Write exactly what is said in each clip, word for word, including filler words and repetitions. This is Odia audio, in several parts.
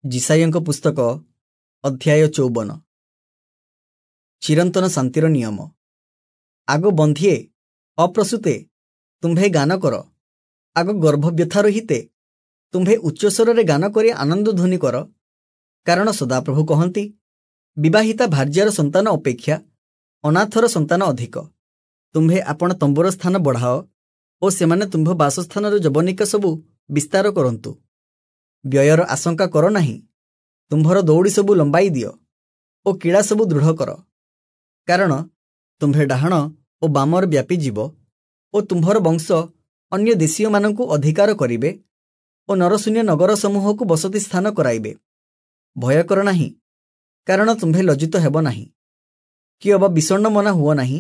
ଯିଶାଇୟଙ୍କ ପୁସ୍ତକ ଅଧ୍ୟାୟ ଚଉବନ। ଚିରନ୍ତନ ଶାନ୍ତିର ନିୟମ। ଆଗୋ ବନ୍ଧ୍ୟେ, ଅପ୍ରସୂତେ, ତୁମ୍ଭେ ଗାନ କର। ଆଗୋ ଗର୍ଭବ୍ୟଥା ରହିତେ, ତୁମ୍ଭେ ଉଚ୍ଚସ୍ୱରରେ ଗାନ କରି ଆନନ୍ଦ ଧ୍ୱନି କର। କାରଣ ସଦାପ୍ରଭୁ କହନ୍ତି, ବିବାହିତା ଭାର୍ଯ୍ୟାର ସନ୍ତାନ ଅପେକ୍ଷା ଅନାଥର ସନ୍ତାନ ଅଧିକ। ତୁମ୍ଭେ ଆପଣା ତମ୍ବୁର ସ୍ଥାନ ବଢ଼ାଅ ଓ ସେମାନେ ତୁମ୍ଭ ବାସସ୍ଥାନର ଯବନିକା ସବୁ ବିସ୍ତାର କରନ୍ତୁ। ବ୍ୟୟର ଆଶଙ୍କା କର ନାହିଁ। ତୁମ୍ଭର ଦଉଡ଼ି ସବୁ ଲମ୍ବାଇ ଦିଅ ଓ କିଳା ସବୁ ଦୃଢ଼ କର। କାରଣ ତୁମ୍ଭେ ଡାହାଣ ଓ ବାମରେ ବ୍ୟାପିଯିବ ଓ ତୁମ୍ଭର ବଂଶ ଅନ୍ୟ ଦେଶୀୟମାନଙ୍କୁ ଅଧିକାର କରିବେ ଓ ନରଶୂନ୍ୟ ନଗର ସମୂହକୁ ବସତି ସ୍ଥାନ କରାଇବେ। ଭୟ କର ନାହିଁ, କାରଣ ତୁମ୍ଭେ ଲଜ୍ଜିତ ହେବ ନାହିଁ, କି ଅବା ବିଷଣ୍ଣ ମନା ହୁଅ ନାହିଁ,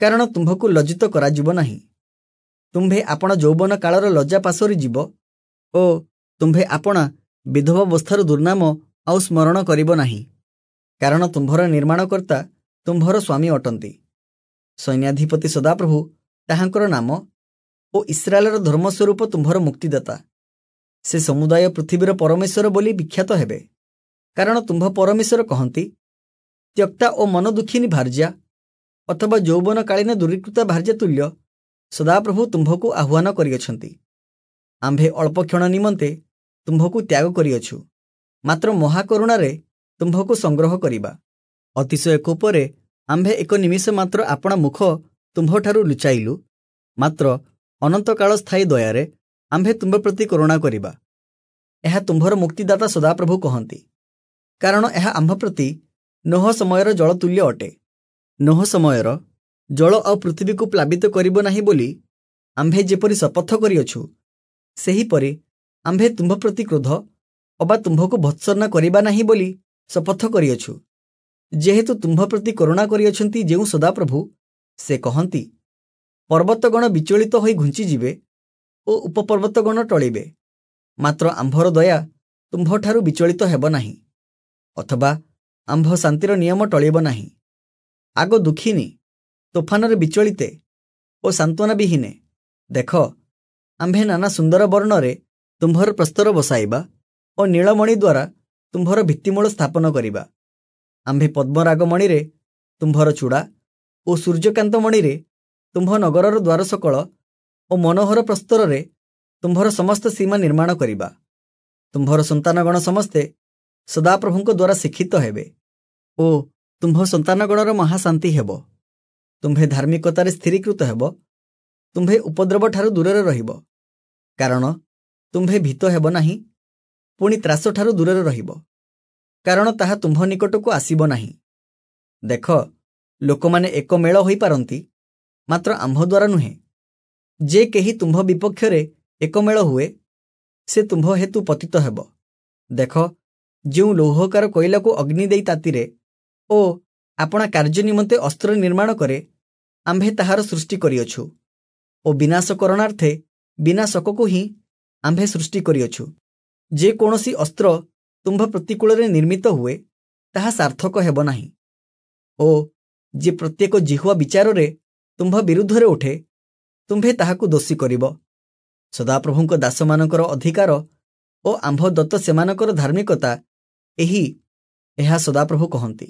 କାରଣ ତୁମ୍ଭକୁ ଲଜ୍ଜିତ କରାଯିବ ନାହିଁ। ତୁମ୍ଭେ ଆପଣା ଯୌବନ କାଳର ଲଜ୍ଜା ପାସୋରି ଯିବ ଓ ତୁମ୍ଭେ ଆପଣା ବିଧବାବସ୍ଥାର ଦୁର୍ନାମ ଆଉ ସ୍ମରଣ କରିବ ନାହିଁ। କାରଣ ତୁମ୍ଭର ନିର୍ମାଣକର୍ତ୍ତା ତୁମ୍ଭର ସ୍ୱାମୀ ଅଟନ୍ତି। ସୈନ୍ୟାଧିପତି ସଦାପ୍ରଭୁ ତାହାଙ୍କର ନାମ ଓ ଇସ୍ରାଏଲର ଧର୍ମସ୍ୱରୂପ ତୁମ୍ଭର ମୁକ୍ତିଦାତା। ସେ ସମୁଦାୟ ପୃଥିବୀର ପରମେଶ୍ୱର ବୋଲି ବିଖ୍ୟାତ ହେବେ। କାରଣ ତୁମ୍ଭ ପରମେଶ୍ୱର କହନ୍ତି, ତ୍ୟକ୍ତା ଓ ମନଦୁଃଖିନୀ ଭାର୍ଯ୍ୟା ଅଥବା ଯୌବନକାଳୀନ ଦୂରୀକୃତା ଭାର୍ଯ୍ୟା ତୁଲ୍ୟ ସଦାପ୍ରଭୁ ତୁମ୍ଭକୁ ଆହ୍ୱାନ କରିଅଛନ୍ତି। ଆମ୍ଭେ ଅଳ୍ପ କ୍ଷଣ ନିମନ୍ତେ ତୁମ୍ଭକୁ ତ୍ୟାଗ କରିଅଛୁ, ମାତ୍ର ମହାକରୁଣାରେ ତୁମ୍ଭକୁ ସଂଗ୍ରହ କରିବା। ଅତିଶୟ କୋପରେ ଆମ୍ଭେ ଏକ ନିମିଷ ମାତ୍ର ଆପଣା ମୁଖ ତୁମ୍ଭଠାରୁ ଲୁଚାଇଲୁ, ମାତ୍ର ଅନନ୍ତକାଳ ସ୍ଥାୟୀ ଦୟାରେ ଆମ୍ଭେ ତୁମ୍ଭ ପ୍ରତି କରୁଣା କରିବା। ଏହା ତୁମ୍ଭର ମୁକ୍ତିଦାତା ସଦାପ୍ରଭୁ କହନ୍ତି। କାରଣ ଏହା ଆମ୍ଭ ପ୍ରତି ନୋହ ସମୟର ଜଳ ତୁଲ୍ୟ ଅଟେ। ନୋହ ସମୟର ଜଳ ଆଉ ପୃଥିବୀକୁ ପ୍ଲାବିତ କରିବ ନାହିଁ ବୋଲି ଆମ୍ଭେ ଯେପରି ଶପଥ କରିଅଛୁ, ସେହିପରି ଆମ୍ଭେ ତୁମ୍ଭ ପ୍ରତି କ୍ରୋଧ ଅବା ତୁମ୍ଭକୁ ଭତ୍ସନା କରିବା ନାହିଁ ବୋଲି ଶପଥ କରିଅଛୁ। ଯେହେତୁ ତୁମ୍ଭ ପ୍ରତି କରୁଣା କରିଅଛନ୍ତି ଯେଉଁ ସଦାପ୍ରଭୁ, ସେ କହନ୍ତି, ପର୍ବତଗଣ ବିଚଳିତ ହୋଇ ଘୁଞ୍ଚିଯିବେ ଓ ଉପପର୍ବତଗଣ ଟଳିବେ, ମାତ୍ର ଆମ୍ଭର ଦୟା ତୁମ୍ଭଠାରୁ ବିଚଳିତ ହେବ ନାହିଁ, ଅଥବା ଆମ୍ଭ ଶାନ୍ତିର ନିୟମ ଟଳିବ ନାହିଁ। ଆଗୋ ଦୁଃଖିନୀ, ତୋଫାନରେ ବିଚଳିତେ ଓ ସାନ୍ତ୍ୱନା ବିହୀନେ, ଦେଖ, ଆମ୍ଭେ ନାନା ସୁନ୍ଦର ବର୍ଣ୍ଣରେ ତୁମ୍ଭର ପ୍ରସ୍ତର ବସାଇବା ଓ ନୀଳମଣି ଦ୍ୱାରା ତୁମ୍ଭର ଭିତ୍ତିମୂଳ ସ୍ଥାପନ କରିବା। ଆମ୍ଭେ ପଦ୍ମରାଗମଣିରେ ତୁମ୍ଭର ଚୂଡ଼ା ଓ ସୂର୍ଯ୍ୟକାନ୍ତ ମଣିରେ ତୁମ୍ଭ ନଗରର ଦ୍ୱାର ସକଳ ଓ ମନୋହର ପ୍ରସ୍ତରରେ ତୁମ୍ଭର ସମସ୍ତ ସୀମା ନିର୍ମାଣ କରିବା। ତୁମ୍ଭର ସନ୍ତାନଗଣ ସମସ୍ତେ ସଦାପ୍ରଭୁଙ୍କ ଦ୍ୱାରା ଶିକ୍ଷିତ ହେବେ ଓ ତୁମ୍ଭ ସନ୍ତାନଗଣର ମହାଶାନ୍ତି ହେବ। ତୁମ୍ଭେ ଧାର୍ମିକତାରେ ସ୍ଥିରୀକୃତ ହେବ, ତୁମ୍ଭେ ଉପଦ୍ରବଠାରୁ ଦୂରରେ ରହିବ, କାରଣ ତୁମ୍ଭେ ଭୀତ ହେବ ନାହିଁ। ପୁଣି ତ୍ରାସଠାରୁ ଦୂରରେ ରହିବ, କାରଣ ତାହା ତୁମ୍ଭ ନିକଟକୁ ଆସିବ ନାହିଁ। ଦେଖ, ଲୋକମାନେ ଏକ ମେଳ ହୋଇପାରନ୍ତି, ମାତ୍ର ଆମ୍ଭ ଦ୍ୱାରା ନୁହେଁ। ଯେ କେହି ତୁମ୍ଭ ବିପକ୍ଷରେ ଏକମେଳ ହୁଏ, ସେ ତୁମ୍ଭ ହେତୁ ପତିତ ହେବ। ଦେଖ, ଯେଉଁ ଲୌହକାର କୋଇଲାକୁ ଅଗ୍ନି ଦେଇ ତାତିରେ ଓ ଆପଣା କାର୍ଯ୍ୟ ନିମନ୍ତେ ଅସ୍ତ୍ର ନିର୍ମାଣ କରେ, ଆମ୍ଭେ ତାହାର ସୃଷ୍ଟି କରିଅଛୁ ଓ ବିନାଶ କରଣାର୍ଥେ ବିନାଶକକୁ ହିଁ ଆମ୍ଭେ ସୃଷ୍ଟି କରିଅଛୁ। ଯେ କୌଣସି ଅସ୍ତ୍ର ତୁମ୍ଭ ପ୍ରତିକୂଳରେ ନିର୍ମିତ ହୁଏ, ତାହା ସାର୍ଥକ ହେବ ନାହିଁ ଓ ଯେ ପ୍ରତ୍ୟେକ ଜିହ୍ୱା ବିଚାରରେ ତୁମ୍ଭ ବିରୁଦ୍ଧରେ ଉଠେ, ତୁମ୍ଭେ ତାହାକୁ ଦୋଷୀ କରିବ। ସଦାପ୍ରଭୁଙ୍କ ଦାସମାନଙ୍କର ଅଧିକାର ଓ ଆମ୍ଭ ଦତ୍ତ ସେମାନଙ୍କର ଧାର୍ମିକତା ଏହି, ଏହା ସଦାପ୍ରଭୁ କହନ୍ତି।